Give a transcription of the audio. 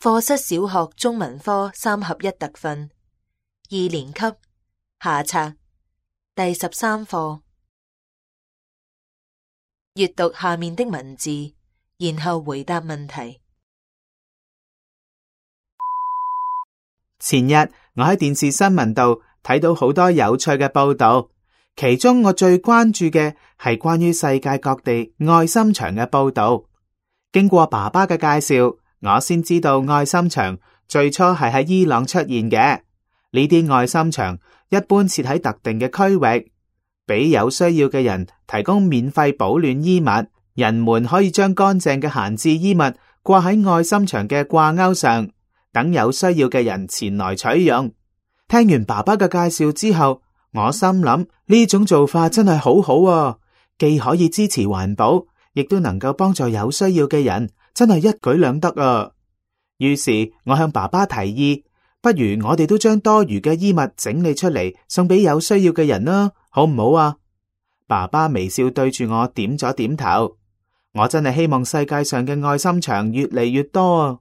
課室小學中文科3合1特訓2年級下冊第13課。閱讀下面的文字，然後回答問題。前日我喺電視新聞度睇到好多有趣嘅報道，其中我最關注嘅係關於世界各地愛心牆嘅報道。經過爸爸嘅介紹，我先知道愛心牆最初係喺伊朗出現嘅。呢啲愛心牆一般設喺特定嘅區域，俾有需要嘅人提供免費保暖衣物。人們可以將乾淨嘅閒置衣物掛喺愛心牆嘅掛鈎上，等有需要嘅人前來取用。聽完爸爸嘅介紹之後，我心諗呢種做法真係好好啊，既可以支持環保，亦都能夠幫助有需要嘅人，真係一舉兩得啊！於是我向爸爸提議，不如我哋都將多餘嘅衣物整理出嚟，送俾有需要嘅人啦，好唔好啊？爸爸微笑對住我點咗點頭。我真係希望世界上嘅愛心牆越嚟越多啊！